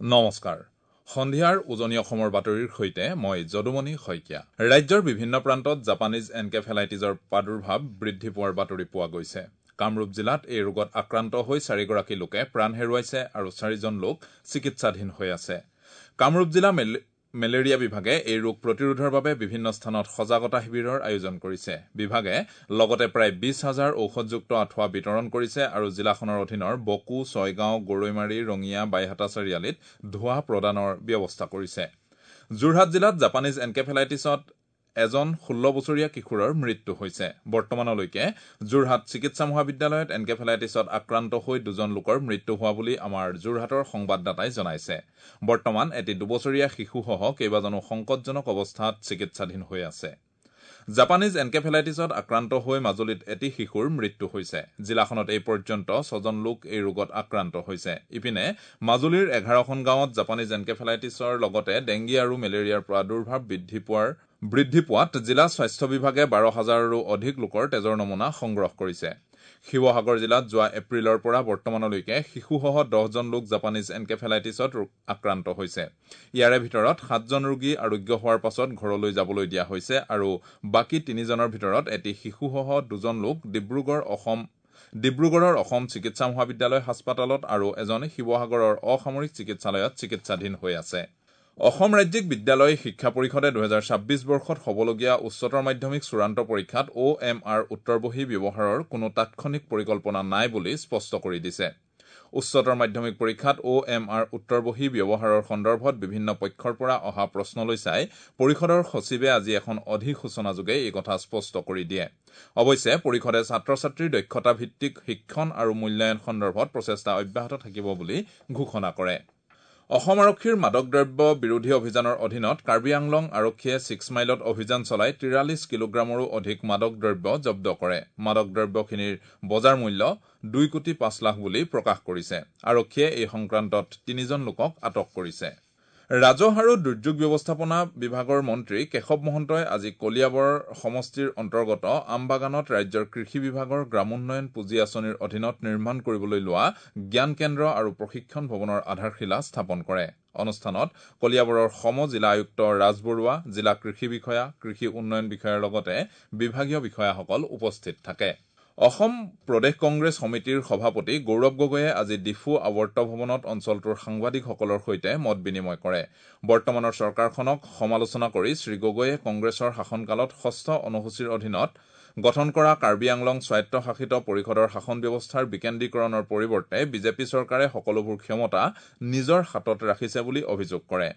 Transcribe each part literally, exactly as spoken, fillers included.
নমস্কাৰ, সন্ধিয়াৰ উজনি অসমৰ বাতৰিৰ সৈতে মই যদুমণি শইকীয়া। ৰাজ্যৰ বিভিন্ন প্ৰান্তত জাপানীজ এনকেফেলাইটিছৰ প্ৰাদুৰ্ভাৱ বৃদ্ধি পোৱাৰ বাতৰি পোৱা গৈছে। কামৰূপ জিলাত এই ৰোগত আক্ৰান্ত হৈ চাৰিগৰাকী লোকে প্ৰাণ হেৰুৱাইছে আৰু চাৰিজন লোক চিকিৎসাধীন হৈ আছে। কামৰূপ জিলা মেলেৰিয়া বিভাগে এই ৰোগ প্ৰতিৰোধৰ বাবে বিভিন্ন স্থানত সজাগতা শিবিৰৰ আয়োজন কৰিছে। বিভাগে লগতে প্ৰায় বিশ হাজাৰ ঔষধযুক্ত আঁঠুৱা বিতৰণ কৰিছে আৰু জিলাখনৰ অধীনৰ বকো, ছয়গাঁও, গৰৈমাৰী, ৰঙিয়া, বাইহাটা চাৰিআলিত ধোঁৱা প্ৰদানৰ ব্যৱস্থা কৰিছে। যোৰহাট জিলাত জাপানীজ এনকেফেলাইটিছত এজন ষোল্ল বছৰীয়া কিশোৰৰ মৃত্যু হৈছে। বৰ্তমানলৈকে যোৰহাট চিকিৎসা মহাবিদ্যালয়ত এনকেফেলাইটিছত আক্ৰান্ত হৈ দুজন লোকৰ মৃত্যু হোৱা বুলি আমাৰ যোৰহাটৰ সংবাদদাতাই জনাইছে। বৰ্তমান এটি দুবছৰীয়া শিশুসহ কেইবাজনো সংকটজনক অৱস্থাত চিকিৎসাধীন হৈ আছে। জাপানীজ এনকেফেলাইটিছত আক্ৰান্ত হৈ মাজুলীত এটি শিশুৰ মৃত্যু হৈছে। জিলাখনত এই পৰ্যন্ত ছজন লোক এই ৰোগত আক্ৰান্ত হৈছে। ইপিনে মাজুলীৰ এঘাৰখন গাঁৱত জাপানীজ এনকেফেলাইটিছৰ লগতে ডেংগি আৰু মেলেৰিয়াৰ প্ৰাদুৰ্ভাৱ বৃদ্ধি পোৱাৰ বৃদ্ধি পোৱাত জিলা স্বাস্থ্য বিভাগে বাৰ হাজাৰৰো অধিক লোকৰ তেজৰ নমুনা সংগ্ৰহ কৰিছে। শিৱসাগৰ জিলাত যোৱা এপ্ৰিলৰ পৰা বৰ্তমানলৈকে শিশুসহ দহজন লোক জাপানীজ এনকেফেলাইটিছত আক্ৰান্ত হৈছে। ইয়াৰে ভিতৰত সাতজন ৰোগী আৰোগ্য হোৱাৰ পাছত ঘৰলৈ যাবলৈ দিয়া হৈছে আৰু বাকী তিনিজনৰ ভিতৰত এটি শিশুসহ দুজন লোক ডিব্ৰুগড় অসম ডিব্ৰুগড়ৰ অসম চিকিৎসা মহাবিদ্যালয় হাস্পতালত আৰু এজন শিৱসাগৰৰ অসামৰিক চিকিৎসালয়ত চিকিৎসাধীন হৈ আছে। অসম ৰাজ্যিক বিদ্যালয় শিক্ষা পৰিষদে দুহেজাৰ ছাব্বিছ বৰ্ষত হ'বলগীয়া উচ্চতৰ মাধ্যমিক চূড়ান্ত পৰীক্ষাত অ' এম আৰ উত্তৰবহী ব্যৱহাৰৰ কোনো তাৎক্ষণিক পৰিকল্পনা নাই বুলি স্পষ্ট কৰি দিছে। উচ্চতৰ মাধ্যমিক পৰীক্ষাত অ' এম আৰ উত্তৰবহী ব্যৱহাৰৰ সন্দৰ্ভত বিভিন্ন পক্ষৰ পৰা অহা প্ৰশ্নলৈ চাই পৰিষদৰ সচিবে আজি এখন অধিসূচনাযোগে এই কথা স্পষ্ট কৰি দিয়ে। অৱশ্যে পৰিষদে ছাত্ৰ ছাত্ৰীৰ দক্ষতা ভিত্তিক শিক্ষণ আৰু মূল্যায়ন সন্দৰ্ভত প্ৰচেষ্টা অব্যাহত থাকিব বুলি ঘোষণা কৰে। অসম আৰক্ষীৰ মাদক দ্ৰব্য বিৰোধী অভিযানৰ অধীনত কাৰ্বি আংলং আৰক্ষীয়ে ছিক্স মাইলত অভিযান চলাই তিৰাল্লিছ কিলোগ্ৰামৰো অধিক মাদক দ্ৰব্য জব্দ কৰে। মাদক দ্ৰব্যখিনিৰ বজাৰ মূল্য দুই কোটি পাঁচ লাখ বুলি প্ৰকাশ কৰিছে। আৰক্ষীয়ে এই সংক্ৰান্তত তিনিজন লোকক আটক কৰিছে। ৰাজহ আৰু দুৰ্যোগ ব্যৱস্থাপনা বিভাগৰ মন্ত্ৰী কেশৱ মহন্তই আজি কলিয়াবৰ সমষ্টিৰ অন্তৰ্গত আমবাগানত ৰাজ্যৰ কৃষি বিভাগৰ গ্ৰামোন্নয়ন পুঁজি আঁচনিৰ অধীনত নিৰ্মাণ কৰিবলৈ লোৱা জ্ঞান কেন্দ্ৰ আৰু প্ৰশিক্ষণ ভৱনৰ আধাৰশিলা স্থাপন কৰে। অনুষ্ঠানত কলিয়াবৰৰ সম জিলা আয়ুক্ত ৰাজ বৰুৱা, জিলা কৃষি বিষয়া, কৃষি উন্নয়ন বিষয়াৰ লগতে বিভাগীয় বিষয়াসকল উপস্থিত থাকে। অসম প্ৰদেশ কংগ্ৰেছ সমিতিৰ সভাপতি গৌৰৱ গগৈয়ে আজি ডিফু আৱৰ্ত ভৱনত অঞ্চলটোৰ সাংবাদিকসকলৰ সৈতে মত বিনিময় কৰে। বৰ্তমানৰ চৰকাৰখনক সমালোচনা কৰি শ্ৰী গগৈয়ে কংগ্ৰেছৰ শাসনকালত ষষ্ঠ অনুসূচীৰ অধীনত গঠন কৰা কাৰ্বি আংলং স্বায়ত্তশাসিত পৰিষদৰ শাসন ব্যৱস্থাৰ বিকেন্দ্ৰীকৰণৰ পৰিৱৰ্তে বিজেপি চৰকাৰে সকলোবোৰ ক্ষমতা নিজৰ হাতত ৰাখিছে বুলি অভিযোগ কৰে।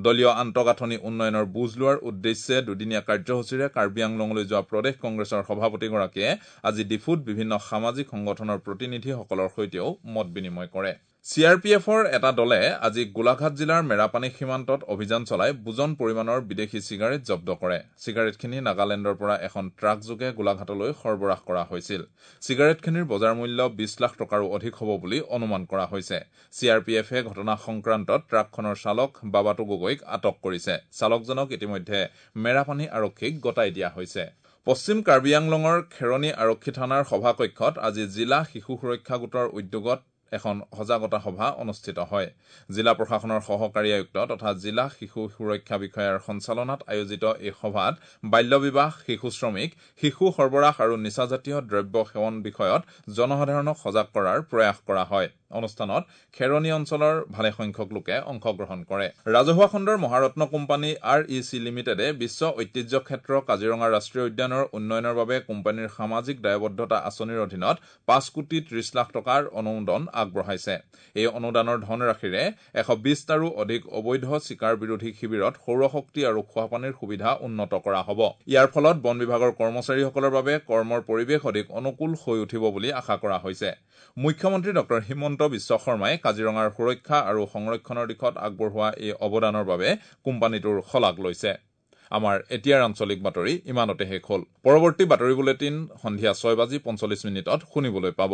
দলীয় আন্তঃগাঁথনি উন্নয়নৰ বুজ লোৱাৰ উদ্দেশ্যে দুদিনীয়া কাৰ্যসূচীৰে কাৰ্বি আংলঙলৈ যোৱা প্ৰদেশ কংগ্ৰেছৰ সভাপতিগৰাকীয়ে আজি ডিফুত বিভিন্ন সামাজিক সংগঠনৰ প্ৰতিনিধিসকলৰ সৈতেও মত বিনিময় কৰে। চি আৰ পি এফৰ এটা দলে আজি গোলাঘাট জিলাৰ মেৰাপানী সীমান্তত অভিযান চলাই বুজন পৰিমাণৰ বিদেশী চিগাৰেট জব্দ কৰে। চিগাৰেটখিনি নাগালেণ্ডৰ পৰা এখন ট্ৰাকযোগে গোলাঘাটলৈ সৰবৰাহ কৰা হৈছিল। চিগাৰেটখিনিৰ বজাৰ মূল্য বিশ লাখ টকাৰো অধিক হ'ব বুলি অনুমান কৰা হৈছে। চি আৰ পি এফে ঘটনা সংক্ৰান্তত ট্ৰাকখনৰ চালক বাবাটো গগৈক আটক কৰিছে। চালকজনক ইতিমধ্যে মেৰাপানী আৰক্ষীক গতাই দিয়া হৈছে। পশ্চিম কাৰ্বি আংলঙৰ খেৰণি আৰক্ষী থানাৰ সভাকক্ষত আজি জিলা শিশু সুৰক্ষা গোটৰ উদ্যোগত এখন সজাগতা সভা অনুষ্ঠিত হয়। জিলা প্ৰশাসনৰ সহকাৰী আয়ুক্ত তথা জিলা শিশু সুৰক্ষা বিষয়াৰ সঞ্চালনাত আয়োজিত এই সভাত বাল্য বিবাহ, শিশু শ্ৰমিক, শিশু সৰবৰাহ আৰু নিচাজাতীয় দ্ৰব্য সেৱন বিষয়ত জনসাধাৰণক সজাগ কৰাৰ প্ৰয়াস কৰা হয়। অনুষ্ঠানত খেৰণি অঞ্চলৰ ভালেসংখ্যক লোকে অংশগ্ৰহণ কৰে। ৰাজহুৱা খণ্ডৰ মহাৰত্ন কোম্পানী আৰ ই চি লিমিটেডে বিশ্ব ঐতিহ্য ক্ষেত্ৰ কাজিৰঙা ৰাষ্ট্ৰীয় উদ্যানৰ উন্নয়নৰ বাবে কোম্পানীৰ সামাজিক দায়বদ্ধতা আঁচনিৰ অধীনত পাঁচ কোটি ত্ৰিশ লাখ টকাৰ অনুমোদন আগবঢ়াইছে। এই অনুদানৰ ধনৰাশিৰে এশ বিশটাৰো অধিক অবৈধ চিকাৰ বিৰোধী শিবিৰত সৌৰশক্তি আৰু খোৱাপানীৰ সুবিধা উন্নত কৰা হ'ব। ইয়াৰ ফলত বন বিভাগৰ কৰ্মচাৰীসকলৰ বাবে কৰ্মৰ পৰিৱেশ অধিক অনুকূল হৈ উঠিব বুলি আশা কৰা হৈছে। মুখ্যমন্ত্ৰী ডক্টৰ হিমন্ত বিশ্ব শৰ্মাই কাজিৰঙাৰ সুৰক্ষা আৰু সংৰক্ষণৰ দিশত আগবঢ়োৱা এই অৱদানৰ বাবে কোম্পানীটোৰ শলাগ লৈছে। আমাৰ এতিয়াৰ আঞ্চলিক বাতৰি ইমানতে শেষ হ'ল। পৰৱৰ্তী বাতৰি বুলেটিন সন্ধিয়া ছয় বাজি পঞ্চল্লিছ মিনিটত শুনিবলৈ পাব।